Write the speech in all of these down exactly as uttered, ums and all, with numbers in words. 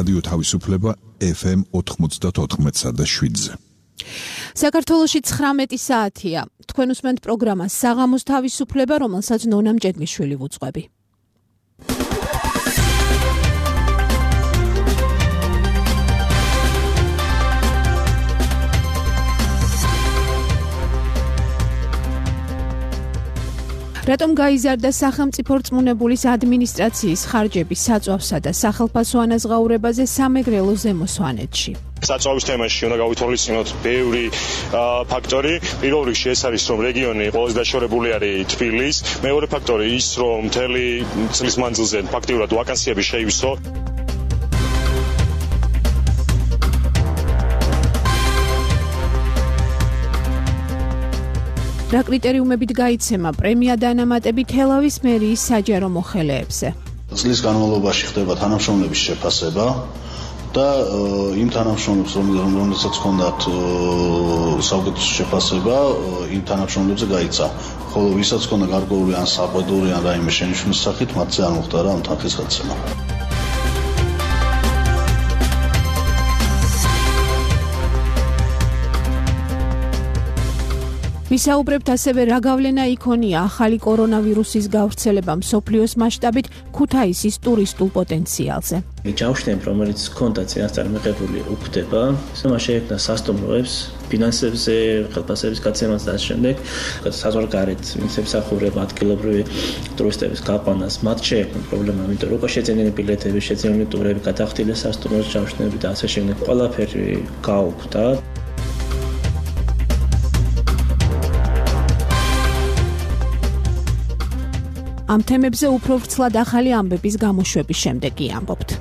რადიო თავისუფლება ეფ ემ ოთხმოცდაოთხ და შვიდზე. საქართველოში ცხრამეტი საათია. თქვენ უსმენთ პროგრამას საღამოს თავისუფლება, რომელსაც ნონა მჭედლიშვილი ვუძღვები. რატომ გაიზარდა სახელმწიფო რწმუნებულის ადმინისტრაციის ხარჯები საწვავსა და სახელფასო ანაზღაურებაზე სამეგრელო ზემო სვანეთში? საწვავის თემაში უნდა გავითვალისწინოთ ბევრი ფაქტორი. პირველ რიგში ეს არის, რომ რეგიონი ყველაზე დაშორებული არის თბილის. მეორე ფაქტორი ის, რომ მთელი წლის მანძილზე ფაქტიურად ვაკანსიები შეივსო. რა კრიტერიუმებით გაიცემა პრემია დანამატები თელავის მერიის საჯარო მოხელეებზე? წლის განმავლობაში ხდება თანამშრომლების შეფასება და იმ თანამშრომლებს, რომელსაც ჰქონდათ საუკეთესო შეფასება, იმ თანამშრომლებზე გაიცა. ხოლო ვისაც ჰქონდა გარკვეული ან საყვედური ან რაიმე შენიშვნის სახით, მათზე არ მოხდა ამ თანხის გადაცემა. ვისაუბრებთ ასევე რა გავლენა იქონია ახალი კორონავირუსის გავრცელება მსოფლიოს მასშტაბით ქუთაისის ტურისტულ პოტენციალზე. ჯავშნები, რომელიც ჰქონდა წინასწარ მიღებული, უქმდება, მას შეექმნა სასტუმროებს, ფინანსებზე, ხელფასების გაცემას და ამ შემდეგ საზღვარგარეთ მისამსახურება ადგილობრივი ტურისტების გაყვანას, მათ შეექმნა პრობლემა, იმიტომ რომ შეძენილი ბილეთები, შეძენილი ტურები, გადახდილი სასტუმროს ჯავშნები და ასე შემდეგ ყველაფერი გაუქმდა. ამ თემებზე უფრო ვრცლად ახალი ამბების გამოშვების შემდეგ ამბობთ.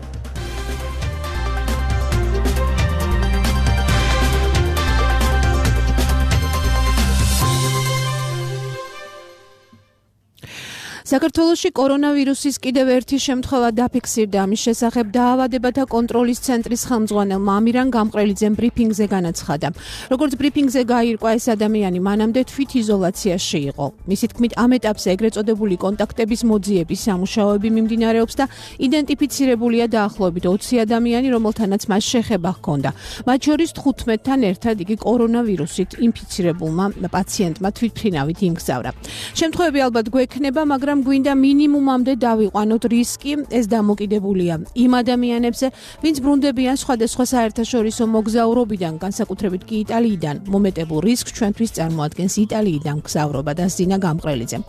საქართველოში კორონავირუსის კიდევ ერთი შემთხვევა დაფიქსირდა. ამის შესახებ დაავადებათა კონტროლის ცენტრის ხელმძღვანელმა ამირან გამყრელიძემ ბრიფინგზე განაცხადა. როგორც ბრიფინგზე გაირკვა, ეს ადამიანი მანამდე თვითიზოლაციაში იყო. მისი თქმით, ამ ეტაპზე ეგრეთ წოდებული კონტაქტების მოძიების სამუშაოები მიმდინარეობს და იდენტიფიცირებულია დაახლოებით ოცი ადამიანი, რომელთანაც მას შეხება ჰქონდა. მათ შორის თხუთმეტთან ერთად იგი კორონავირუსით ინფიცირებულმა პაციენტმა თვითმფრინავით იმგზავრა. შემთხვევები ალბათ გვექნება, მაგრამ გვინდა მინიმუმამდე დავიყვანოთ რისკი. ეს დამოკიდებულია იმ ადამიანებზე, ვინც ბრუნდებიან სხვადასხვა საერთაშორისო მოგზაურობიდან, განსაკუთრებით კი იტალიიდან. მომეტებულ რისკს ჩვენთვის წარმოადგენს იტალიიდან მგზავრობა, დასძინა გამყრელიძემ.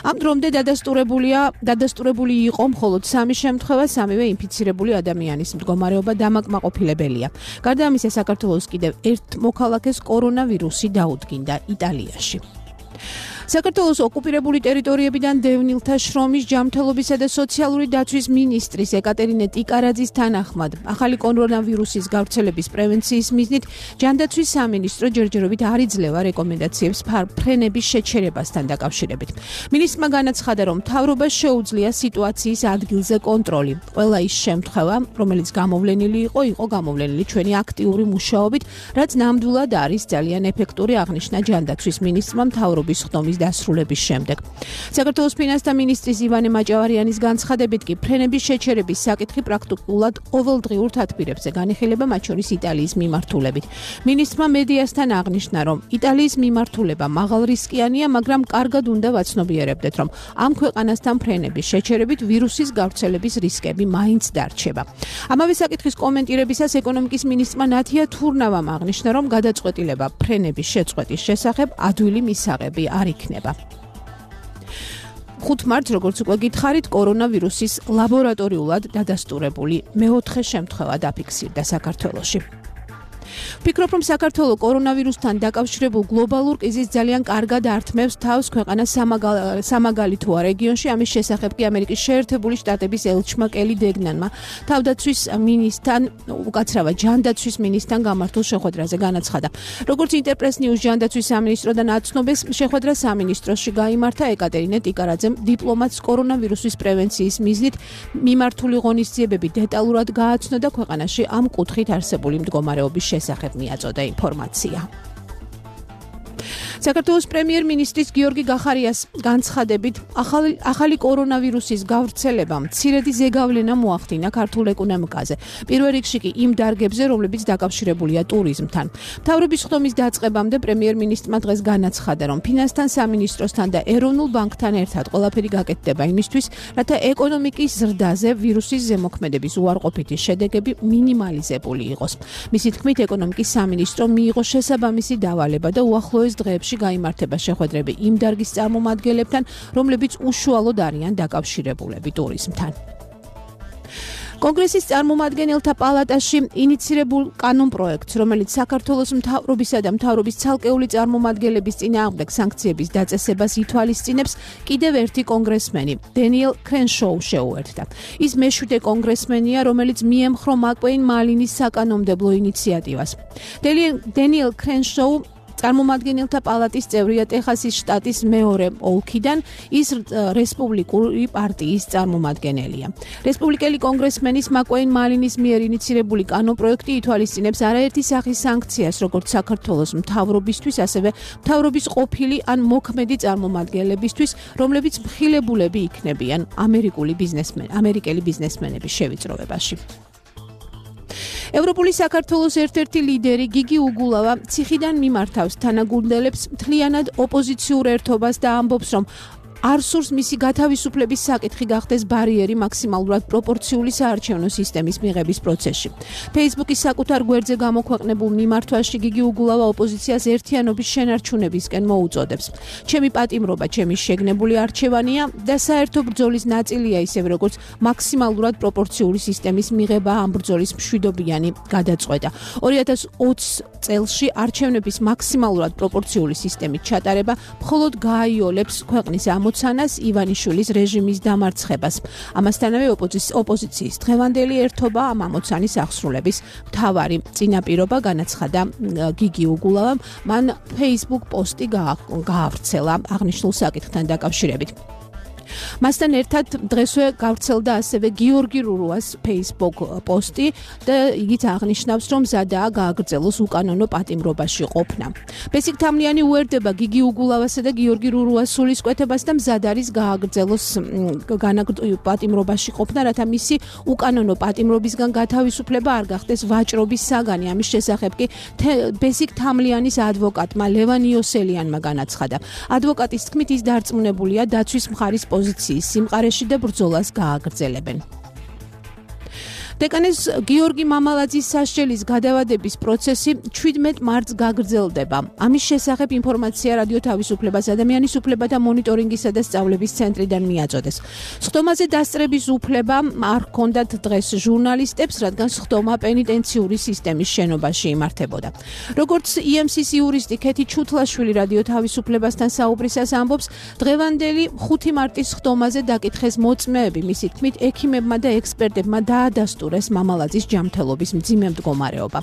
ამ დრომდე დადასტურებულია, დადასტურებული იყო მხოლოდ სამი შემთხვევა, სამივე ინფიცირებული ადამიანის მდგომარეობა დამაკმაყოფილებელია. გარდა ამისა, საქართველოს კიდევ ერთ მოქალაქეს კორონავირუსი დაუდგინდა იტალიაში. საქართველოს ოკუპირებული ტერიტორიებიდან დევნილთა შრომის, ჯანმრთელობისა და სოციალური დაცვის მინისტრის ეკატერინე ტიკარაძის თანახმად, ახალი კორონავირუსის გავრცელების პრევენციის მიზნით ჯანდაცვის სამინისტრო ჯერჯერობით არ იძლევა რეკომენდაციებს ფრენების შეჩერებასთან დაკავშირებით. მინისტრმა განაცხადა, რომ მთავრობას შეუძლია სიტუაციის ადგილზე კონტროლი. ყველა ის შემთხვევა, რომელიც გამოვლენილი იყო, იყო გამოვლენილი ჩვენი აქტიური მუშაობით, რაც ნამდვილად არის ძალიან ეფექტური, აღნიშნა ჯანდაცვის მინისტრმა მთავრობის ხდომის დასრულების შემდეგ. საქართველოს ფინანსთა მინისტრის ივანე მაჭავარიანის განცხადებით კი ფრენების შეჩერების საკითხი პრაქტიკულად ყოველდღიურ თათბირებზე განიხილება, მათ შორის იტალიის მიმართულებით. მინისტრმა მედიასთან აღნიშნა, რომ იტალიის მიმართულება მაღალრისკიანია, მაგრამ კარგად უნდა ვაცნობიერებდეთ, რომ ამ ქვეყანასთან ფრენების შეჩერებით ვირუსის გავრცელების რისკები მაინც დარჩება. ამავე საკითხის კომენტირებისას ეკონომიკის მინისტრმა ნათია თურნავამ აღნიშნა, რომ გადაწყვეტილება ფრენების შეწყვეტის შესახებ ადვილი მისაღები არ იქნება. ხუთ მარტს, როგორც უკვე გითხარით, კორონავირუსის ლაბორატორიულად დადასტურებული მეოთხე შემთხვევა დაფიქსირდა საქართველოში. ვფიქრობ, რომ საქართველო კორონავირუსთან დაკავშირებულ გლობალურ კრიზისს ძალიან კარგად ართმევს თავს ქვეყანა სამაგალითოა რეგიონში. ამის შესახებ კი ამერიკის შეერთებული შტატების ელჩმა კელი დეგნანმა თავდაცვის მინისტრთან, უკაცრავად ჯანდაცვის მინისტრთან გამართულ შეხვედრაზე განაცხადა. როგორც ინტერპრეს ნიუს ჯანდაცვის სამინისტროდან აცნობეს, შეხვედრა სამინისტროში გაიმართა. ეკატერინე ტიკარაძემ დიპლომატს კორონავირუსის პრევენციის მიზნით მიმართული ღონისძიებები დეტალურად გააცნო და ქვეყანაში ამ კუთხით არსებული მდგომარეობის შესახებ მიაწოდა ინფორმაცია. საქართველოს პრემიერ-მინისტრის გიორგი გახარიას განცხადებით, ახალი ახალი კორონავირუსის გავრცელება მცირედი ზეგავლენა მოახდინა ქართულ ეკონომიკაზე. პირველ რიგში კი იმ დარგებზე, რომლებიც დაკავშირებულია ტურიზმთან. მთავრობის ხდომის დაწყებამდე პრემიერ-მინისტრმა დღეს განაცხადა, რომ ფინანსთა სამინისტროსთან და ეროვნულ ბანკთან ერთად ყველაფერი გაკეთდება იმისთვის, რათა ეკონომიკის ზრდაზე ვირუსის ზემოქმედების უარყოფითი შედეგები მინიმალიზებული იყოს. მისი თქმით, ეკონომიკის სამინისტრო მიიღო შესაბამისი დავალება და უახლოეს დღეებში გაიმართება შეხვედრები იმ დარგის წარმომადგენლებთან, რომლებიც უშუალოდ არიან დაკავშირებულები ტურიზმთან. კონგრესის წარმომადგენელთა პალატაში ინიცირებულ კანონპროექტს, რომელიც საქართველოს მთავრობისა და მთავრობის ცალკეული წარმომადგენლების წინააღმდეგ სანქციების დაწესებას ითვალისწინებს, კიდევ ერთი კონგრესმენი, დენიელ კრენშოუ შეუერთდა. ის მეშვიდე კონგრესმენია, რომელიც მიემხრო მაკ-ვეინ მალინის საკანონმდებლო ინიციატივას. დენიელ კრენშოუ წარმომადგენელთა პალატის წევრია ტეხასის შტატის მეორე ოლქიდან, ის რესპუბლიკური პარტიის წარმომადგენელია. რესპუბლიკელი კონგრესმენის მაკ-ვეინ მალინის მიერ ინიცირებული კანონპროექტი ითვალისწინებს არაერთი სახის სანქციას, როგორც საქართველოს მთავრობისთვის, ასევე მთავრობის ყოფილი ან მოქმედი წარმომადგენლებისთვის, რომლებიც მხილებულები იქნებიან ამერიკული ბიზნესმენ, ამერიკელი ბიზნესმენების შევიწროვებაში. ევროპული საქართველოს ერთ-ერთი ლიდერი გიგი უგულავა ციხიდან მიმართავს თანაგუნდელებს მთლიანად ოპოზიციურ ერთობას და ამბობს, რომ არ სურს მისი გათავისუფლების საკითხი გახდეს ბარიერი მაქსიმალურად პროპორციული საარჩევნო სისტემის მიღების პროცესში. Facebook-ის საკუთარ გვერდზე გამოქვეყნებულ მიმართვაში გიგი უგულავა ოპოზიციას ერთიანობის შენარჩუნებისკენ მოუწოდებს. ჩემი პატიმრობა, ჩემი შეგნებული არჩევანია და საერთო ბრძოლის ნაწილია, ისევე როგორც მაქსიმალურად პროპორციული სისტემის მიღება ამ ბრძოლის მშვიდობიანი გადაწყვეტა. ორი ათას ოცი წელში არჩევნების მაქსიმალურად პროპორციული სისტემით ჩატარება მხოლოდ გააიოლებს ქვეყნის ამოცანას ივანიშვილის რეჟიმის დამარცხებას. ამასთანავე ოპოზიციის დღევანდელი ერთობა ამ ამოცანის აღსრულების მთავარი წინაპირობა, განაცხადა გიგი უგულავამ, მან Facebook პოსტი გაავრცელა აღნიშნულ საკითხთან დაკავშირებით. მასთან ერთად დღესვე გავრცელდა ასევე გიორგი რურუას Facebook პოსტი და იგიც აღნიშნავს, რომ მზადაა გააგრძელოს უკანონო პატიმრობაში ყოფნა. ბესიკ თამლიანი უერთდება გიგი უგულავასა და გიორგი რურუას სულისკვეთებას და მზად არის გააგრძელოს პატიმრობაში ყოფნა, რათა მისი უკანონო პატიმრობისგან გათავისუფლება არ გახდეს ვაჭრობის საგანი. ამის შესახებ კი ბესიკ თამლიანის ადვოკატმა ლევან იოსელიანმა განაცხადა. ადვოკატის თქმით, ის დარწმუნებულია დაცვის მხარის პოზიციის სიმყარეში და ბრძოლას გააგრძელებენ. დეკანეს გიორგი მამალაძის სასჯელის გადავადების პროცესი ჩვიდმეტ მარტს გაგრძელდება. ამის შესახებ ინფორმაცია რადიო თავისუფლებას, ადამიანის უფლებათა მონიტორინგისა და სწავლების ცენტრიდან მიაწოდეს. სხდომაზე დასწრების უფლება არ ჰქონდათ დღეს ჟურნალისტებს, რადგან სხდომა პენიტენციური სისტემის შენობაში იმართებოდა. როგორც ი ემ სის იურისტი ქეთი ჩუთლაშვილი რადიო თავისუფლებასთან საუბრისას ამბობს, დღევანდელი ხუთი მარტის სხდომაზე დაკითხეს მოწმეები, მისი თქმით, ექიმებმა და ექსპერტებმა დაადასტურეს მამალაძის ჯანმრთელობის მძიმე მდგომარეობა.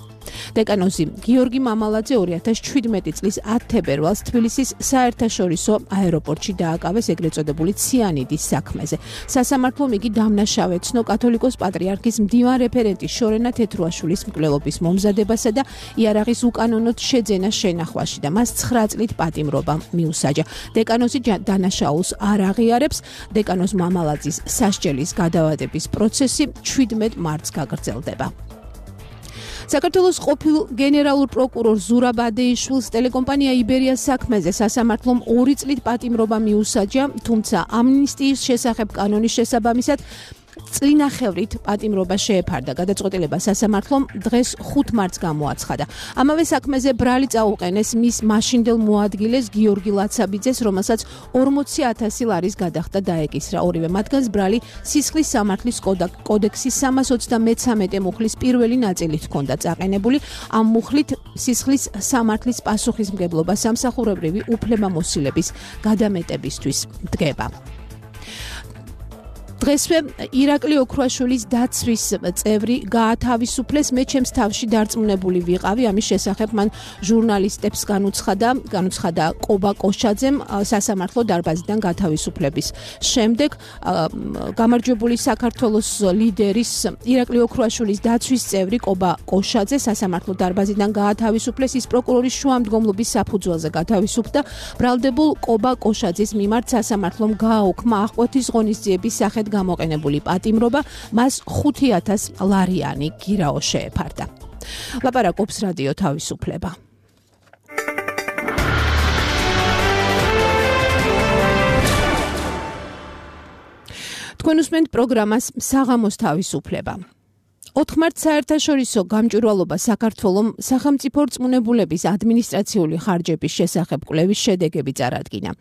დეკანოზი გიორგი მამალაძე ორი ათას შვიდმეტი წლის ათი თებერვალს თბილისის საერთაშორისო აეროპორტში დააკავეს ეგრეთ წოდებული ციანიდის საქმეზე. სასამართლომ იგი დამნაშავე ცნო კათოლიკოს პატრიარქის მდივან რეფერენტის შორენა თეთრუაშვილის მკვლელობის მომზადებასა და იარაღის უკანონოდ შეძენას შენახვაში და მას ცხრა წლით პატიმრობა მიუსაჯა. დეკანოზი დანაშაულს არ აღიარებს. დეკანოზ მამალაძის სასჯელის გადავადების პროცესი ჩვიდმეტ მარტს გაგრძელდება. საქართველოს ყოფილ გენერალურ პროკურორ ზურაბ ადეიშვილს ტელეკომპანია იბერიას საქმეზე სასამართლომ ორი წლით პატიმრობა მიუსაჯა, თუმცა ამნისტიის შესახებ კანონის შესაბამისად წლინახევრით პატიმრობა შეეფარდა. გადაწყვეტილება სასამართლომ დღეს ხუთ მარტს გამოაცხადა. ამავე საქმეზე ბრალი წაუყენეს მის მაშინდელ მოადგილეს გიორგი ლაცაბიძეს, რომელსაც ორმოცი ათასი ლარის გადახდა დაეკისრა. ორივე მათგანს ბრალი სისხლის სამართლის კოდექსის სამას ოცდამეცამეტე მუხლის პირველი ნაწილით ჰქონდა წაყენებული. ამ მუხლით სისხლის სამართლის პასუხისმგებლობა სამსახურებრივი უფლებამოსილების გადამეტებისთვის დგება. დღესვე ირაკლი ოქრუაშვილის დაცვის წევრი გაათავისუფლეს, მე ჩემს თავში დარწმუნებული ვიყავი, ამის შესახებ მან ჟურნალისტებს განუცხადა, განუცხადა ყობა კოშაძემ სასამართლო დარბაზიდან გათავისუფლების შემდეგ. გამარჯვებული საქართველოს ლიდერის ირაკლი ოქრუაშვილის დაცვის წევრი ყობა კოშაძე სასამართლო დარბაზიდან გაათავისუფლეს, ის პროკურორის შუამდგომლობის საფუძველზე გათავისუფლდა. ბრალდებულ ყობა კოშაძის მიმართ სასამართლომ გააუქმა აღკვეთის ღონისძიების სახით გამოყენებული პატიმრობა, მას ხუთი ათას ლარიანი გირაო შეეფარდა. ლაპარაკობს რადიო თავისუფლება. თქვენ უსმენთ პროგრამას საღამოს თავისუფლება. ოთხ მარტს საერთაშორისო გამჭვირვალობა საქართველომ სახელმწიფო რწმუნებულების ადმინისტრაციული ხარჯების შესახებ კვლევის შედეგები წარადგინა.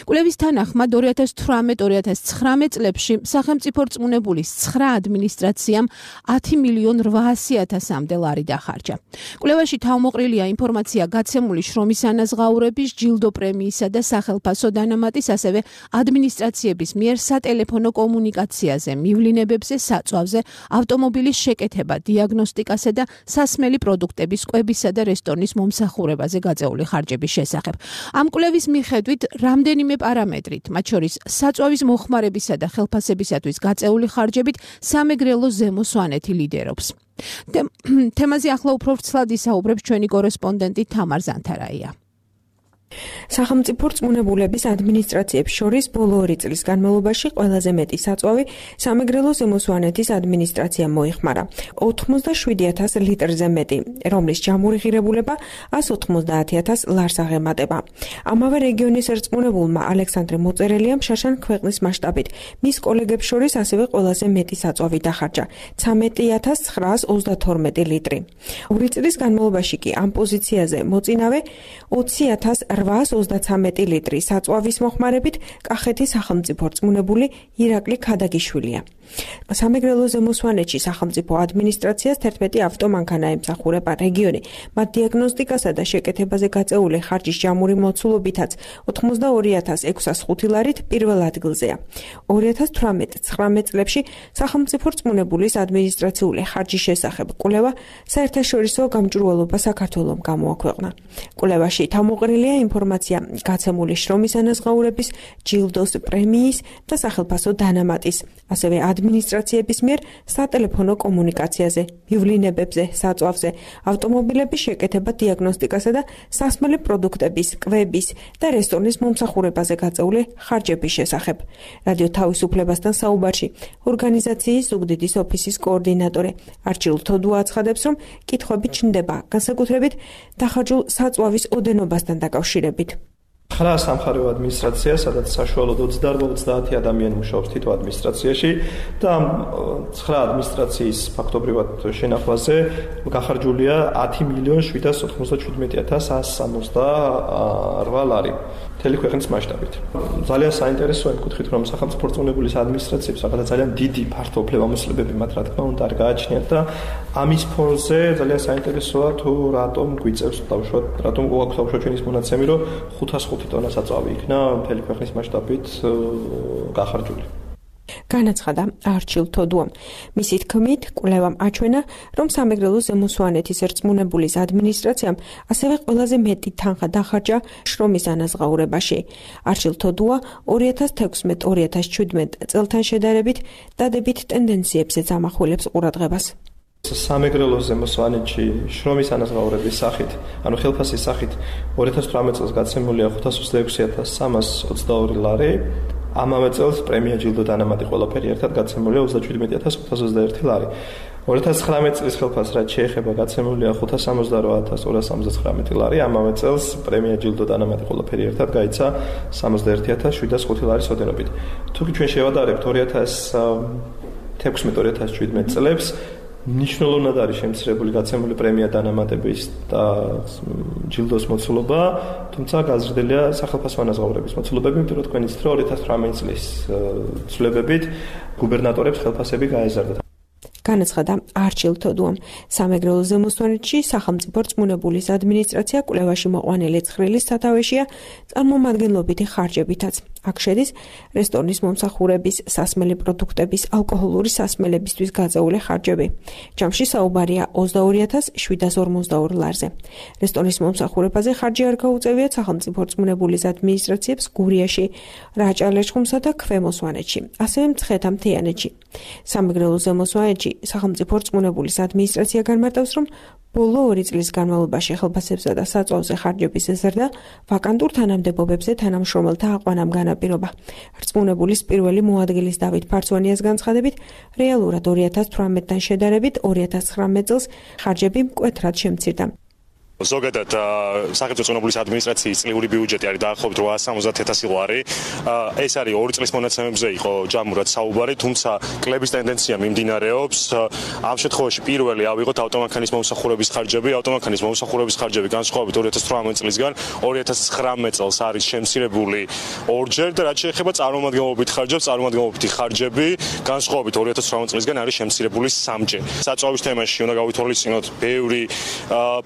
კვლევის თანახმად ორი ათას თვრამეტ ორი ათას ცხრამეტ წლებში სახელმწიფო რწმუნებულის ცხრა ადმინისტრაციამ ათი მილიონ რვაასი ათასამდე ლარი დახარჯა. კვლევაში თავმოყრილია ინფორმაცია გაცემული შრომის ანაზღაურების, ჯილდო პრემიისა და სახელფასო დანამატის, ასევე ადმინისტრაციების მიერ სატელეფონო კომუნიკაციაზე, მივლინებებზე, საწვავზე, ავტომობილის შეკეთება, დიაგნოსტიკასა და სასმელი პროდუქტების კვებისა და რესტორნის მომსახურებაზე გაწეული ხარჯების შესახებ. ამ კვლევის მიხედვით რამდენიმე პარამეტრით, მათ შორის საწვავის მოხმარებისა და ხელფასებისათვის გაწეული ხარჯებით სამეგრელო ზემო სვანეთი ლიდერობს. თემაზე ახლა უფრო ვრცლად ისაუბრებს ჩვენი კორესპონდენტი თამარ ზანთარაია. სახელმწიფო რწმუნებულების ადმინისტრაციებს შორის ბოლო ორი წლის განმავლობაში ყველაზე მეტი საწვავი სამეგრელო ზემო სვანეთის ადმინისტრაციამ მოიხმარა ოცდაშვიდი ათას ლიტრზე მეტი, რომლის ჯამური ღირებულება ას ოთხმოცდაათი ათას ლარს აღემატება. ამავე რეგიონის რწმუნებულმა ალექსანდრე მოწერელიამ შაშან ქვეყნის მასშტაბით მის კოლეგებს შორის ასევე ყველაზე მეტი საწვავი დახარჯა ცხრამეტი ათას ცხრაას ოცდათორმეტი ლიტრი. ორი წლის განმავლობაში კი ამ პოზიციაზე მოწინავე ოცი ათას რვაას ოცდაცამეტი ლიტრი საწვავის მოხმარებით კახეთის სახელმწიფო რწმუნებული ირაკლი ქადაგიშვილია. სამეგრელო ზემო სვანეთში სახელმწიფო ადმინისტრაციას თერთმეტი ავტომანქანა ემსახურება რეგიონი, მათ დიაგნოსტიკასა და შეკეთებაზე გაწეული ხარჯის ჯამური მოცულობითაც ოცდაორი ათას ექვსას ხუთი ლარით პირველ ადგილზეა. ორი ათას თვრამეტ ცხრამეტ წლებში სახელმწიფო რწმუნებულის ადმინისტრაციული ხარჯის შესახებ კვლევა საერთაშორისო გამჭვირვალობა საქართველომ გამოაქვეყნა. კვლევაში თავმოყრილია ინფორმაცია გაცემული შრომის ანაზღაურების, ჯილდოს პრემიის და სახელფასო დანამატის, ასევე ადმინისტრაციების მიერ სატელეფონო კომუნიკაციაზე, მივლინებებზე, საწვავზე, ავტომობილების შეკეთება, დიაგნოსტიკასა და სასმელი პროდუქტების, კვების და რესტორნის მომსახურებაზე გაწეული ხარჯების შესახებ. რადიო თავისუფლებასთან საუბარში ორგანიზაციის ზუგდიდის ოფისის კოორდინატორი არჩილ თოდუა აცხადებს, რომ კითხვები ჩნდება, განსაკუთრებით დახარჯულ საწვავის ოდენობასთან დაკავშირებით. ცხრა სამხარეო ადმინისტრაცია, სადაც საშუალოდ ოცდაორ ოცდაათი ადამიანი მუშაობს თითო ადმინისტრაციაში და ამ ცხრა ადმინისტრაციის ფაქტობრივად შენახვაზე გახარჯულია ათი მილიონ შვიდას ოთხმოცდაჩვიდმეტი ათას ას სამოცდარვა ლარი. მთელი ქვეყნის მასშტაბით. ძალიან საინტერესოა იმ კუთხით, რომ სახელმწიფო რწმუნებულის ადმინისტრაციებს რაღაცა ძალიან დიდი ფართო უფლებამოსილებები მათ რა თქმა უნდა არ გააჩნიათ და ამის ფონზე ძალიან საინტერესოა თუ რატომ გვიწევს დავუშვათ, რატომ გვაქვს დავუშვათ ჩვენის მონაცემი, რომ ხუთას ხუთი ტონა საწვავი იქნა მთელი ქვეყნის მასშტაბით გახარჯული. განაცხადა არჩილ თოდუამ. მისი თქმით, კვლევამ აჩვენა, რომ სამეგრელო ზემო სვანეთის რწმუნებულის ადმინისტრაციამ ასევე ყველაზე მეტი თანხა დახარჯა შრომის ანაზღაურებაში. არჩილ თოდუა ორი ათას თექვსმეტ ორი ათას შვიდმეტ წელთან შედარებით დადებით ტენდენციებზეც ამახვილებს ყურადღებას. სამეგრელო ზემო სვანეთში შრომის ანაზღაურების სახით, ანუ ხელფასის სახით ორი ათას თვრამეტ წელს გაცემულია ხუთას ოცდაექვსი ათას სამას ოცდაორი ლარი. ამავე წელს პრემია ჯილდო დანამატი ყველაფერი ერთად გაცემულია ოცდაჩვიდმეტი ათას ოთხას ოცდაერთი ლარი. ორი ათას ცხრამეტ წლის ხელფასს რაც შეეხება გაცემულია ხუთას სამოცდარვა ათას ორას სამოცდაცხრამეტი ლარი. ამავე წელს პრემია ჯილდო დანამატი ყველაფერი ერთად გაიცა სამოცდაერთი ათას შვიდას ხუთი ლარის ოდენობით. თუკი ჩვენ შევადარებთ ორი ათას თექვსმეტ ორი ათას შვიდმეტ წლებს, მნიშვნელოვნად არის შემცირებული გაცემული პრემია დანამატების და ჯილდოს მოცულობა, თუმცა გაზრდილია სახელფასო ანაზღაურების მოცულობები, იმიტომ რომ თქვენ იცით, რომ ორი ათას თვრამეტ წლის ცვლილებებით გუბერნატორებს ხელფასები გაეზარდათ. განაცხადა არჩილ თოდუამ. სამეგრელო ზემო სვანეთში სახელმწიფო რწმუნებულის ადმინისტრაცია კვლევაში მოყვანილი ცხრილის სათავეშია წარმომადგენლობითი ხარჯებითაც. აქ შედის რესტორნის მომსახურების, სასმელი პროდუქტების, ალკოჰოლური სასმელებისთვის გაწეული ხარჯები. ჯამში საუბარია ოცდაორი ათას შვიდას ორმოცდაორი ლარზე. რესტორნის მომსახურებაზე ხარჯი არ გაუწევიათ სახელმწიფო რწმუნებულის ადმინისტრაციებს გურიაში, რაჭა-ლეჩხუმსა და ქვემო სვანეთში, ასევე მცხეთა მთიანეთში. სამეგრელო ზემო სვანეთში სახელმწიფო რწმუნებულის ადმინისტრაცია განმარტავს, რომ ბოლო ორი წლის განმავლობაში ხელფასებსა და საწვავზე ხარჯების ზრდა ვაკანტურ თანამდებობებზე თანამშრომელთა აყვანამ განაპირობა. რწმუნებულის პირველი მოადგილის დავით ფარცვანიას განცხადებით, რეალურად ორი ათას თვრამეტთან შედარებით ორი ათას ცხრამეტ წელს ხარჯები მკვეთრად შემცირდა. ზოგადად სახელმწიფო რწმუნებულის ადმინისტრაციის წლიური ბიუჯეტი არის დაახლოებით რვაას სამოცდაათ ათასი ლარი. ეს არის ორი წლის მონაცემებზე იყო ჯამურად საუბარი, თუმცა კლების ტენდენცია მიმდინარეობს. ამ შემთხვევაში პირველი ავიღოთ ავტომანქანის მომსახურების ხარჯები. ავტომანქანის მომსახურების ხარჯები განსხვავებით ორი ათას თვრამეტ წლისგან ორი ათას ცხრამეტ წელს არის შემცირებული ორჯერ და რაც შეეხება წარმომადგენლობით ხარჯებს, წარმომადგენლობითი ხარჯები განსხვავებით ორი ათას თვრამეტ წლისგან არის შემცირებული სამჯერ. საწვავის თემაში უნდა გავითვალისწინოთ ბევრი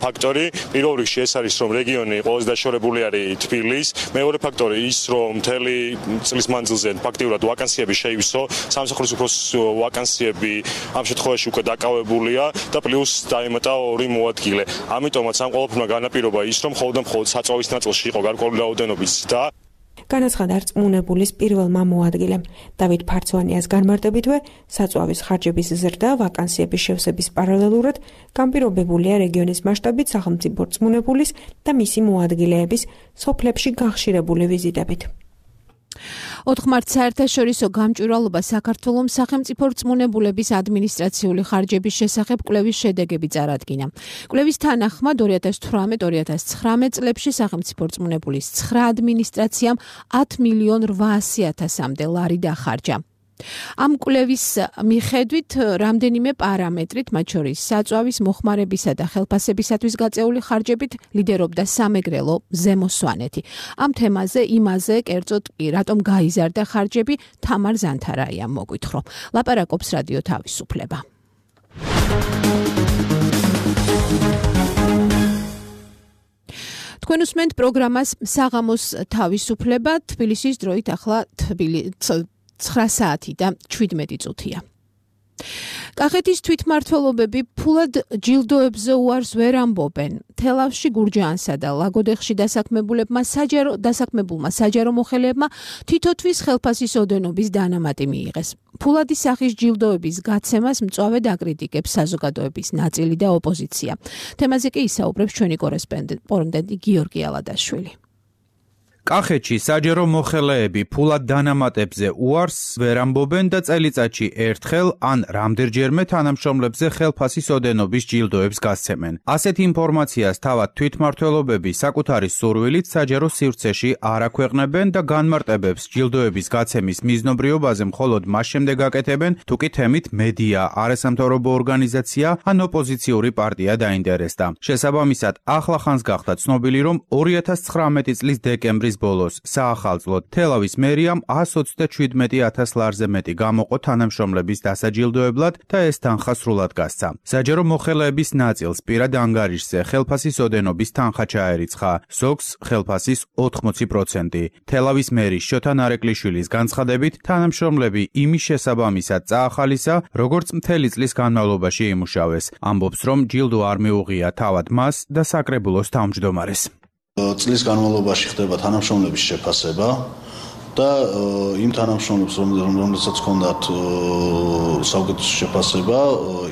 ფაქტორი. პირველ რიგში ეს არის, რომ რეგიონი ყველაზე დაშორებული არის თბილის. მეორე ფაქტორი ის, რომ მთელი წლის მანძილზე ფაქტიურად ვაკანსიები შეივსო, სამსახურის უფროს ვაკანსიები ამ შემთხვევაში უკვე დაკავებულია და პლუს დაემატა ორი მოადგილე. ამიტომაც ამ ყველაფერმა განაპირობა ის, რომ მხოლოდ და მხოლოდ საწვავის ნაწილში იყო გარკვეული რაოდენობის ზრდა. განაცხადა რწმუნებულის პირველმა მოადგილემ. დავით ფარცვანიას განმარტებითვე, საწვავის ხარჯების ზრდა ვაკანსიების შევსების პარალელურად განპირობებულია რეგიონის მასშტაბით სახელმწიფო რწმუნებულის და მისი მოადგილეების სოფლებში გახშირებული ვიზიტებით. ოთხ მარტს საერთაშორისო გამჭვირვალობა საქართველოს სახელმწიფო რწმუნებულების ადმინისტრაციული ხარჯების შესახებ კვლევის შედეგები წარადგინა. კვლევის თანახმად ორი ათას თვრამეტ ორი ათას ცხრამეტ წლებში სახელმწიფო რწმუნებულის ცხრა ადმინისტრაციამ ათ მილიონ რვაასი ათასამდე ლარი დახარჯა. ამ კვლევის მიხედვით რამდენიმე პარამეტრით, მათ შორის საწვავის, მოხმარებისა და ხელფასებისათვის გაწეული ხარჯებით ლიდერობდა სამეგრელო ზემო სვანეთი. ამ თემაზე, იმაზე, კერძოდ კი, რატომ გაიზარდა ხარჯები, თამარ ზანთარაიამ მოგვითხრა. ლაპარაკობს რადიო თავისუფლება. თქვენ უსმენთ პროგრამას საღამოს თავისუფლება, თბილისის დროით ახლა თბილისი ცხრა საათი და შვიდმეტი წუთია. კახეთის თვითმმართველობები ფულად ჯილდოებზე უარს ვერ ამბობენ. თელავში გურჯაანსა და ლაგოდეხში დასაქმებულებმა საჯარო დასაქმებულმა საჯარო მოხელეებმა თითოთვის ხელფასის ოდენობის დანამატი მიიღეს. ფულადის სახის ჯილდოების გაცემას მწვავედ აკრიტიკებს საზოგადოების ნაწილი და ოპოზიცია. თემაზე კი ისაუბრებს ჩვენი კორესპონდენტი გიორგი ალადაშვილი. კახეთში საჯარო მოხელეები ფულად დანამატებზე უარს ვერ ამბობენ და წელიწადში ერთხელ ან რამდენჯერმე თანამშრომლებზე ხელფასის ოდენობის ჯილდოებს გასცემენ. ასეთ ინფორმაციას თავად თვითმმართველობები საკუთარი სურვილით საჯარო სივრცეში არ აქვეყნებენ და განმარტებებს ჯილდოების გაცემის მიზნობრიობაზე მხოლოდ მას შემდეგ აკეთებენ, თუ კი თემით მედია, არასამთავრობო ორგანიზაცია ან ოპოზიციური პარტია დაინტერესდა. შესაბამისად, ახლახანს გახდა ცნობილი, რომ ორი ათას ცხრამეტი წლის დეკემბრის ბოლოს საახალწლოდ თელავის მერიამ ას ოცდაშვიდმეტი ათას ლარზე მეტი გამოყო თანამშრომლების დასაჯილდოებლად და ეს თანხა სრულად გასცა. საჯარო მოხელეების ნაწილს პირად ანგარიშზე ხელფასის ოდენობის თანხა ჩაერიცხა, ზოგს ხელფასის ოთხმოცი პროცენტი. თელავის მერის შოთა ნარეკლიშვილის განცხადებით, თანამშრომლები იმის შესაბამისად წაახალისა, როგორც მთელი წლის განმავლობაში იმუშავეს. ამბობს, რომ ჯილდო არ მიუღია თავად მას და საკრებულოს თავმჯდომარეს. წლის განმავლობაში ხდება თანამშრომლების შეფასება და იმ თანამშრომლებს, რომელსაც ჰქონდათ საუკეთესო შეფასება,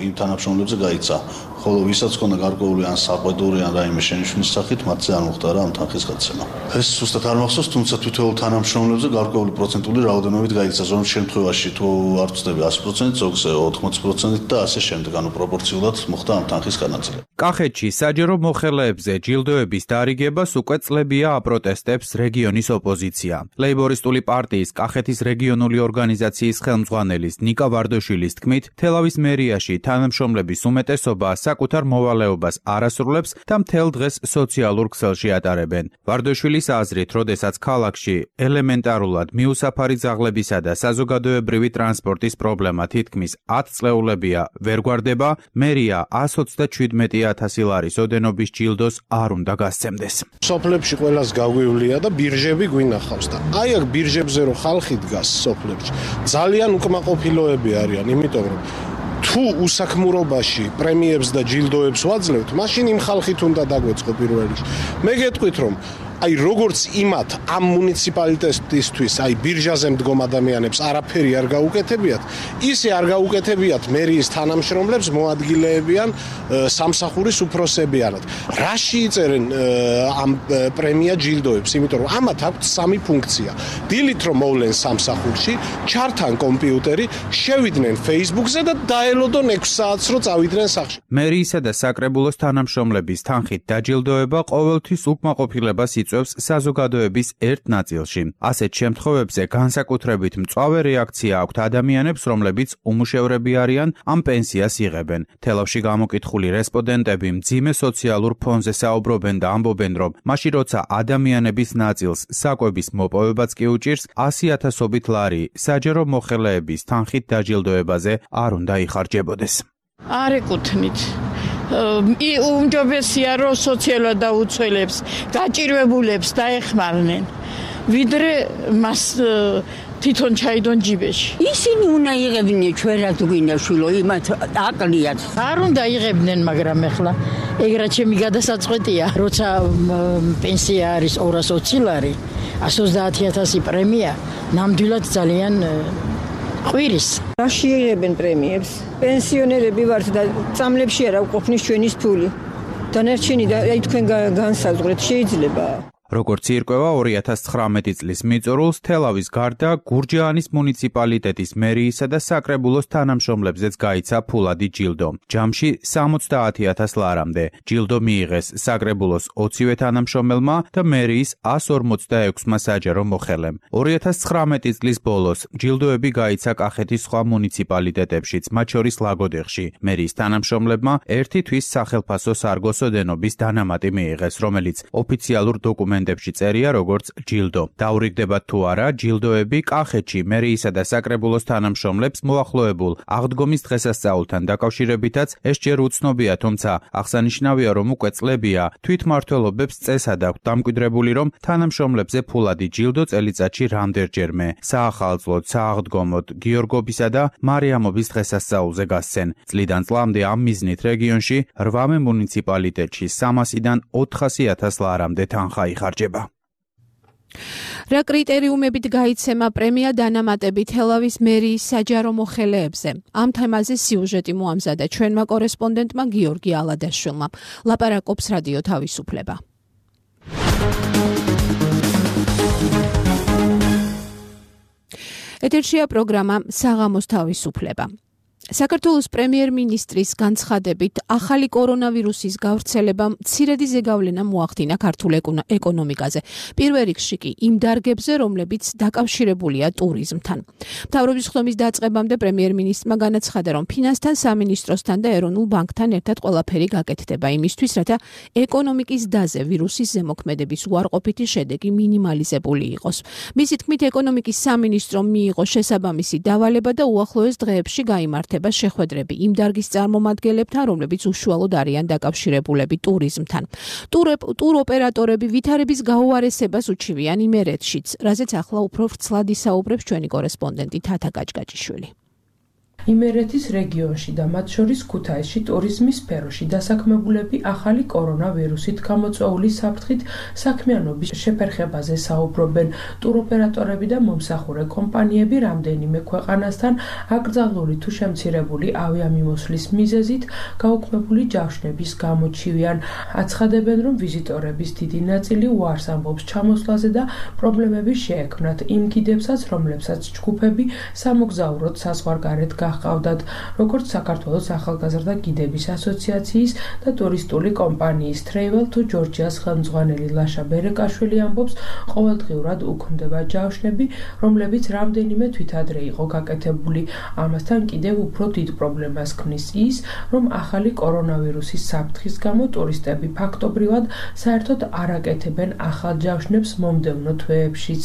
იმ თანამშრომლებზე გაიცა. ხოლო ვისაც ჰქონდა გარკვეული ან საყვედური ან რაიმე შენიშვნის სახით, მათზე არ მოხდარა ამ თანხის გაცემა. ეს ზუსტად არ მახსოვს, თუმცა თითოეულ თანამშრომლებზე გარკვეული პროცენტული რაოდენობით გაიცა. ზოგ შემთხვევაში თუ არ ვწდები ასი პროცენტი, ზოგზე ოთხმოცი პროცენტით და ასე შემდეგ, ანუ პროპორციულად მოხდა ამ თანხის განაწილება. კახეთში საჯარო მოხელეებზე ჯილდოების დარიგებას უკვე წლებია აპროტესტებს რეგიონის ოპოზიცია. ლეიბორისტული პარტიის კახეთის რეგიონული ორგანიზაციის ხელმძღვანელის ნიკა ვარდოშვილის თქმით, თელავის მერიაში თანამშრომლების უმეტესობა საკუთარ მოვალეობას არასრულებს და მთელ დღეს სოციალურ ქსელში ატარებენ. ვარდოშვილის აზრით, როდესაც ქალაქში ელემენტარულად მიუსაფარი ძაღლებისა და საზოგადოებრივი ტრანსპორტის პრობლემა თითქმის ათ წლეულებია ვერ გვარდება, მერია ას ოცდაჩვიდმეტი ათასი ლარის ოდენობის ჯილდოს არ უნდა გასცემდეს. სოფლებში ყველას გაგვივლია და ბირჟები გვინახავს და აი აქ ბირჟებზე რო ხალხი დგას სოფლებში, ძალიან უკმაყოფილოები არიან, იმიტომ რომ თუ უსაქმურობაში პრემიებს და ჯილდოებს ვაძლევთ, მაშინ იმ ხალხით უნდა დაგვეწყო პირველ რიგში. მე გეტყვით რომ აი როგორც იმათ ამ მუნიციპალიტეტისთვის, აი ბირჟაზე მდგომ ადამიანებს არაფერი არ გაუკეთებიათ, ისე არ გაუკეთებიათ მერიის თანამშრომლებს, მოადგილეებიან, სამსახურის უფროსებიანად. რაში იწერენ ამ პრემია ჯილდოებს, იმიტომ რომ ამათ აქვთ სამი ფუნქცია. დილით რომ მოვლენ სამსახურში, ჩართან კომპიუტერი, შევიდნენ Facebook-ზე და დაელოდონ ექვს საათს რო წავიდნენ სახლში. მერიისა და საკრებულოს თანამშრომლების თანხით დაჯილდოება ყოველთვის უკმაყოფილებას იწვევს საზოგადოების ერთ ნაწილში. ასეთ შემთხვევებზე განსაკუთრებით მწვავე რეაქცია აქვთ ადამიანებს, რომლებიც უმუშევრები არიან, ამ პენსიას იღებენ. თელავში გამოკითხული რესპონდენტები მძიმე სოციალურ ფონზე საუბრობენ და ამბობენ, რომ მაშინ როცა ადამიანების ნაწილს საკვების მოპოვებაც კი უჭირს, ასი ათასობით ლარი საჯარო მოხელეების თანხით დაჯილდოებაზე არ უნდა იხარჯებოდეს. არ ეკუთვნით. უმჯობესია რომ სოციალურად დაუცველებს, გაჭირვებულებს დაეხმარნენ, ვიდრე მას თვითონ ჩაიდონ ჯიბეში. ისინი უნდა იღებდნენ ჩვენ რაც გვინდა შვილო, იმათ აყლიათ. არ უნდა იღებდნენ, მაგრამ ეხლა ეგრა ჩემი გადასაწყვეტია, როცა პენსია არის ორას ოცი ლარი, ას ოცდაათი ათასი პრემია, ნამდვილად ძალიან ყვირის. რაში იღებენ პრემიებს? პენსიონერები ვართ და წამლებში არა ვყოფნის ჩვენის ფული. დანარჩენი და აი თქვენ განსაზღვრეთ შეიძლება. როგორც ირკვევა ორი ათას ცხრამეტი წლის მიწურულს თელავის გარდა გურჯაანის მუნიციპალიტეტის მერიისა და საკრებულოს თანამშრომლებზეც გაიცა ფულადი ჯილდო. ჯამში სამოცდაათი ათას ლარამდე. ჯილდო მიიღეს საკრებულოს ოცივე თანამშრომელმა და მერიის ას ორმოცდაექვსმა საჯარო მოხელემ. ორი ათას ცხრამეტი წლის ბოლოს ჯილდოები გაიცა კახეთის სხვა მუნიციპალიტეტებშიც, მათ შორის ლაგოდეხში. მერიის თანამშრომლებმა ერთი თვის სახელფასო სარგოს ოდენობის დანამატი მიიღეს, რომელიც ოფიციალურ დოკუმენტებში წერია როგორც ჯილდო. დაურიგდებათ თუ არა, ჯილდოები კახეთში მერიისა და საკრებულოს თანამშრომლებს მოახლოებულ აღდგომის დღესასწაულთან დაკავშირებითაც ეს ჯერ უცნობია, თუმცა აღსანიშნავია, რომ უკვე წლებია თვითმმართველობებს წესად აქვთ დამკვიდრებული, რომ თანამშრომლებზე ფულადი ჯილდო წელიწადში რამდენჯერმე საახალწლოდ, სააღდგომოდ, გიორგობისა და მარიამობის დღესასწაულზე გასცენ. წლიდან წლამდე ამ მიზნით რეგიონში რვამე მუნიციპალიტეტში სამასიდან ოთხასი ათას ლარამდე თანხა იხარჯება. რა კრიტერიუმებით გაიცემა პრემია დანამატები თელავის მერიის საჯარო მოხელეებზე? ამ თემაზე სიუჟეტი მოამზადა ჩვენმა კორესპონდენტმა გიორგი ალადაშვილმა. ლაპარაკობს რადიო თავისუფლება. ეთერშია პროგრამა საღამოს თავისუფლება. საქართველოს პრემიერ-მინისტრის განცხადებით ახალი კორონავირუსის გავრცელებამ მცირედი ზეგავლენა მოახდინა ქართულ ეკონომიკაზე. პირველ რიგში კი იმ დარგებზე, რომლებიც დაკავშირებულია ტურიზმთან. მთავრობის ხდომის დაწყებამდე პრემიერ-მინისტრმა განაცხადა, რომ ფინანსთა სამინისტროსთან და ეროვნულ ბანკთან ერთად ყველაფერი გაკეთდება იმისთვის, რათა ეკონომიკის დაზე ვირუსის ზემოქმედების უარყოფითი შედეგი მინიმალიზებული იყოს. მისი თქმით, ეკონომიკის სამინისტრომ მიიღო შესაბამისი დავალება და უახლოეს დღეებში გაიმართა შეხვედრები იმ დარგის წარმომადგენლებთან, რომლებიც უშუალოდ არიან დაკავშირებულები ტურიზმთან. ტურ ოპერატორები ვითარების გაუარესებას უჩივიან იმერეთშიც, რაზეც ახლა უფრო ვრცლად ისაუბრებს ჩვენი კორესპონდენტი თათა გაჭგაჭიშვილი. იმერეთის რეგიონში და მათ შორის ქუთაისში ტურიზმის სფეროში დასაქმებულები ახალი კორონავირუსით გამოწვეული საფრთხით საქმიანობის შეფერხებაზე საუბრობენ. ტუროპერატორები და მომსახურე კომპანიები რამდენიმე ქვეყანასთან აკრძალული თუ შემცირებული ავიამიმოსვლის მიზეზით გაუქმებული ჯავშნების გამოჩივიან. აცხადებენ, რომ ვიზიტორების დიდი ნაწილი უარს ამბობს ჩამოსვლაზე და პრობლემები შეექმნათ იმ გიდებსაც, რომლებსაც ჯგუფები სამოგზაუროდ საზღვარგარეთ გაჰყავდათ, როგორც საქართველოს ახალგაზრდა გიდების ასოციაციის და ტურისტული კომპანიის Travel to Georgia-ს ხელმძღვანელი ლაშა ბერეკაშვილი ამბობს, ყოველდღიურად უქმდება ჯავშნები, რომლებიც რამდენიმე თვით ადრე იყო გაკეთებული. ამასთან კიდევ უფრო დიდ პრობლემას ქმნის ის, რომ ახალი კორონავირუსის საფრთხის გამო ტურისტები ფაქტობრივად საერთოდ არ აკეთებენ ახალ ჯავშნებს მომდევნო თვეებშიც.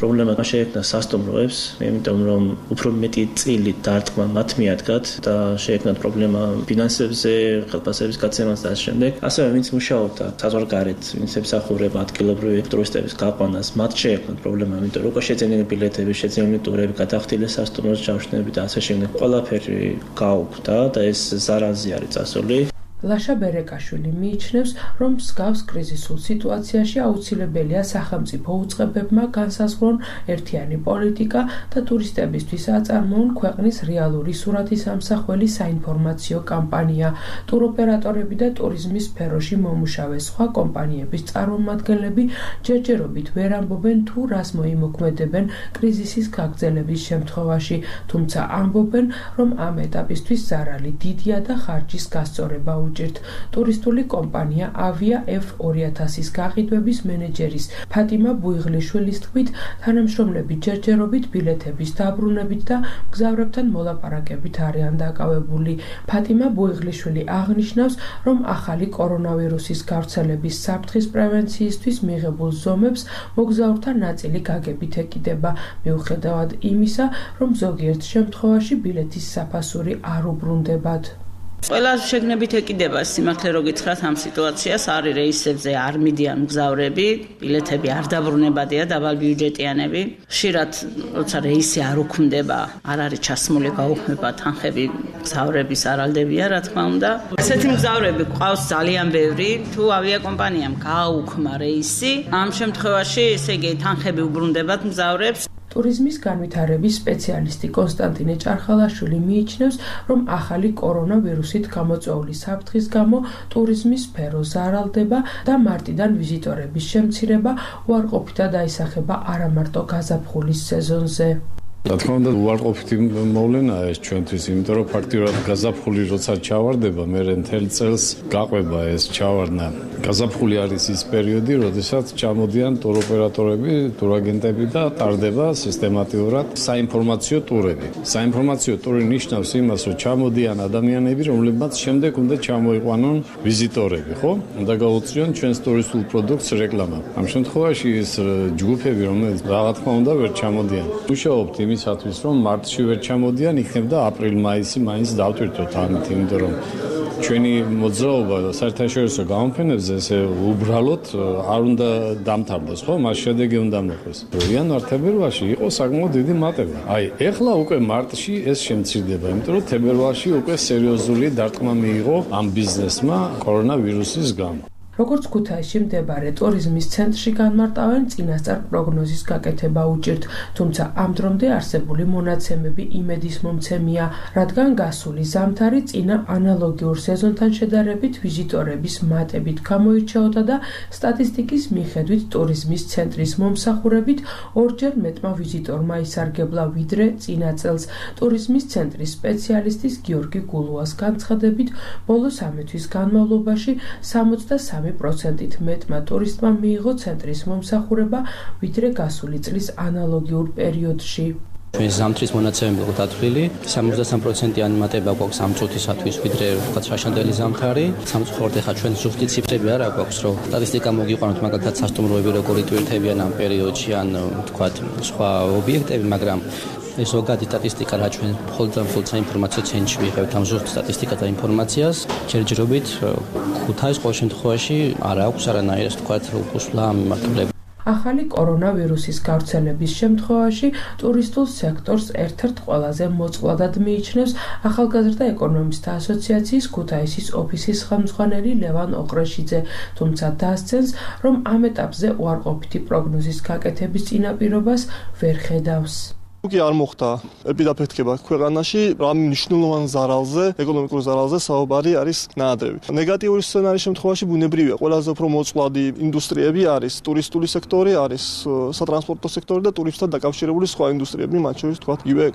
პრობლემა შეექმნა სასტუმროებს, იმიტომ რომ უფრო მეტი წილი დარტყმა მათ მიადგათ და შეექმნათ პრობლემა ფინანსებზე, ხელფასების გაცემას და ამ შემდეგ. ასევე ვინც მუშაობდა საზღვარგარეთ, ვინც ემსახურება ადგილობრივი ტურისტების გაყვანას, მათ შეექმნათ პრობლემა, იმიტომ რომ უკვე შეძენილი ბილეთები, შეძენილი ტურები, გადახდილი სასტუმროს ჯავშნები და ასე შემდეგ. ყველაფერი გაუქმდა და ეს ზარალზე არის წასული. ლაშა ბერეკაშვილი მიიჩნევს, რომ მსგავს კრიზისულ სიტუაციაში აუცილებელია სახელმწიფო უწყებებმა განსაზღვრონ ერთიანი პოლიტიკა და ტურისტებისთვის აწარმოონ ქვეყნის რეალური სურათის ამსახველი საინფორმაციო კამპანია. ტუროპერატორები და ტურიზმის სფეროში მომუშავე სხვა კომპანიების წარმომადგენლები ჯერჯერობით ვერ ამბობენ თუ რას მოიმოქმედებენ კრიზისის გაგრძელების შემთხვევაში, თუმცა ამბობენ, რომ ამ ეტაპისთვის ზარალი დიდია და ხარჯის გასწორება ტურისტული კომპანია ავია F ორი ათასის გაყიდვების მენეჯერის ფატიმა ბუიღლიშვილის თქმით, თანამშრომლები ჯერჯერობით ბილეთების დაბრუნებით და მგზავრებთან მოლაპარაკებით არიან დაკავებული. ფატიმა ბუიღლიშვილი აღნიშნავს, რომ ახალი კორონავირუსის გავრცელების საფრთხის პრევენციისთვის მიღებულ ზომებს მოგზაურთა ნაწილი გაგებით ეკიდება, მიუხედავად იმისა, რომ ზოგიერთ შემთხვევაში ბილეთის საფასური არ უბრუნდებათ. ყველა შეგნებით ეკიდება სიმართლე რო გითხრათ ამ სიტუაციას, არის რეისებზე არ მიდიან მგზავრები, ბილეთები არ დაბრუნებადია დაბალბიუჯეტიანები. ხშირად როცა რეისი არ უქმდება, არ არის ჩასმული, გაუქმება თანხები, მგზავრების არალდებია, რა თქმა უნდა. ესეთი მგზავრები ყავს ძალიან ბევრი, თუ ავიაკომპანიამ გააუქმა რეისი, ამ შემთხვევაში ესე იგი თანხები უბრუნდებათ მგზავრებს. ტურიზმის განვითარების სპეციალისტი კონსტანტინე ჭარხალაშვილი მიიჩნევს, რომ ახალი კორონავირუსით გამოწვეული საფრთხის გამო ტურიზმის სფერო ზარალდება და მარტიდან ვიზიტორების შემცირება უარყოფითად აისახება არა მარტო გაზაფხულის სეზონზე. რა თქმა უნდა, უარყოფითი მოვლენაა ეს ჩვენთვის, იმიტომ რომ ფაქტიურად გაზაფხული როცა ჩავარდება, მე მთელ წელს გაყვება ეს ჩავარდნა. გაზაფხული არის ის პერიოდი, როდესაც ჩამოდიან ტუროპერატორები, ტურაგენტები და ტარდება სისტემატიურად საინფორმაციო ტურები. საინფორმაციო ტური ნიშნავს იმას, რომ ჩამოდიან ადამიანები, რომლებმაც შემდეგ უნდა ჩამოიყვანონ ვიზიტორები, ხო? უნდა გაუწიონ ჩვენს ტურისტულ პროდუქტს რეკლამა. ამ შემთხვევაში ეს ჯგუფები, რომლებიც რა თქმა უნდა ვერ ჩამოდიან. მუშაობთ იმისათვის, რომ მარტში ვერ ჩამოდიან, იქნებ და აპრილ-მაისი მაინც დავტვირთოთ ამით, იმიტომ რომ ჩვენი მოძრაობა საერთაშორისო გამოფენებზე ესე უბრალოდ არ უნდა დამთავრდეს, ხო? მას შედეგი უნდა მოხდეს. იანვარ-თებერვალში იყო საკმაოდ დიდი მატება. აი, ეხლა უკვე მარტში ეს შემცირდება, იმიტომ რომ თებერვალში უკვე სერიოზული დარტყმა მიიღო ამ ბიზნესმა კორონავირუსის გამო. როგორც ქუთაისში მდებარე ტურიზმის ცენტრში განმარტავენ, წინასწარ პროგნოზის გაკეთება უჭირთ, თუმცა ამ დრომდე არსებული მონაცემები იმედის მომცემია, რადგან გასული ზამთარი წინა ანალოგიურ სეზონთან შედარებით ვიზიტორების მატებით გამოირჩეოდა და სტატისტიკის მიხედვით ტურიზმის ცენტრის მომსახურებით ორჯერ მეტმა ვიზიტორმა ისარგებლა ვიდრე წინა წელს. ტურიზმის ცენტრის სპეციალისტის გიორგი გულუას განცხადებით, ბოლო სამი თვის განმავლობაში სამოცდასამი პროცენტით მეტმა ტურისტმა მიიღო ცენტრის მომსახურება ვიდრე გასული წლის ანალოგიურ პერიოდში. ჩვენი ზამთრის მონაცემები იყო დათვლილი, სამოცდასამი პროცენტიანი მატება გვაქვს ამ წუთისათვის ვიდრე ვთქვათ შაშანდელი ზამთარი. სამწუხაროდ ახლა ჩვენ ზუსტი ციფრები არ აქვს, რომ სტატისტიკა მოგიყვანოთ მაგალითად სასტუმროები როგორი ტვირთებიან ამ პერიოდში ან ვთქვათ სხვა ობიექტები, მაგრამ ეს ზოგადი სტატისტიკა რა ჩვენ მხოლოდ და მხოლოდ საინფორმაციო ცენტრში ვიღებთ ამ ზუსტ სტატისტიკას და ინფორმაციას. ჯერჯერობით ქუთაის ყოველ შემთხვევაში არ აქვს არანაირად ვთქვათ უკუსვლა მიმართულებით. ახალი კორონავირუსის გავრცელების შემთხვევაში ტურისტულ სექტორს ერთ-ერთ ყველაზე მოწყვლადად მიიჩნევს ახალგაზრდა ეკონომისტთა ასოციაციის ქუთაისის ოფისის ხელმძღვანელი ლევან ოყრეშიძე, თუმცა დასცენს, რომ ამ ეტაპზე უარყოფითი პროგნოზის გაკეთების წინაპირობას ვერ ხედავს. კი არ მოხდა ეპიდაფექტება ქვეყანაში, რამ მნიშვნელოვან ზარალზე, ეკონომიკურ ზარალზე საუბარი არის ნაადრევი. ნეგატიური სცენარის შემთხვევაში ბუნებრივია, ყველაზე უფრო მოწყვლადი ინდუსტრიები არის ტურისტული სექტორი, არის სატრანსპორტო სექტორი და ტურისტთან დაკავშირებული სხვა ინდუსტრიები, მათ შორის თქვა იგივე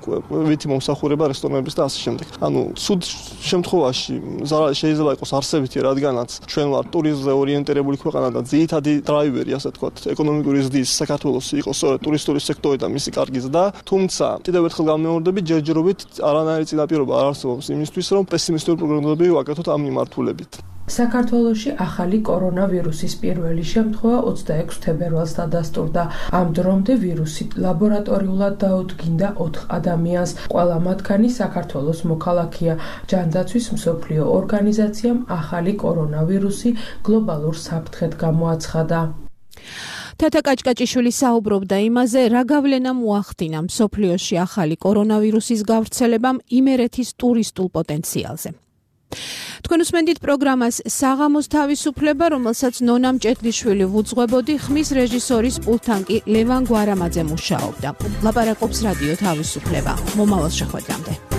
ვითი მომსახურება, რესტორნების და ასე შემდეგ. ანუ ცუდ შემთხვევაში ზარალი შეიძლება იყოს არსებითი, რადგანაც ჩვენ ვართ ტურიზმზე ორიენტირებული ქვეყანა და ძირითადი დრაივერი, ასე თქვა, ეკონომიკური ზრდის საქართველოს იყო სწორედ ტურისტული სექტორი და მისი კარგი ზრდა. თუმცა კიდევ ერთხელ გამეორდები, ჯერჯერობით არანაირი წინაპირობა არ არსებობს იმისთვის, რომ პესიმისტური პროგნოზები ვაკეთოთ ამ მიმართულებით. საქართველოში ახალი კორონავირუსის პირველი შემთხვევა ოცდაექვსი თებერვალს დადასტურდა. ამ დრომდე ვირუსი ლაბორატორიულად დაუდგინდა ოთხ ადამიანს. ყველა მათგანი საქართველოს მოქალაქეა. ჯანდაცვის მსოფლიო ორგანიზაციამ ახალი კორონავირუსი გლობალურ საფრთხედ გამოაცხადა. თათა კაჭკაჭიშვილი საუბრობდა იმაზე, რა გავლენა მოახდინა მსოფლიოში ახალი კორონავირუსის გავრცელებამ იმერეთის ტურისტულ პოტენციალზე. თქვენ უსმენთ პროგრამას საღამოს თავისუფლება, რომელსაც ნონა მჭედლიშვილი ვუძღვებოდი, ხმის რეჟისორის პულტთან კი ლევან გვარამაძე მუშაობდა. ლაპარაკობს რადიო თავისუფლება. მომავალ შეხვედრამდე.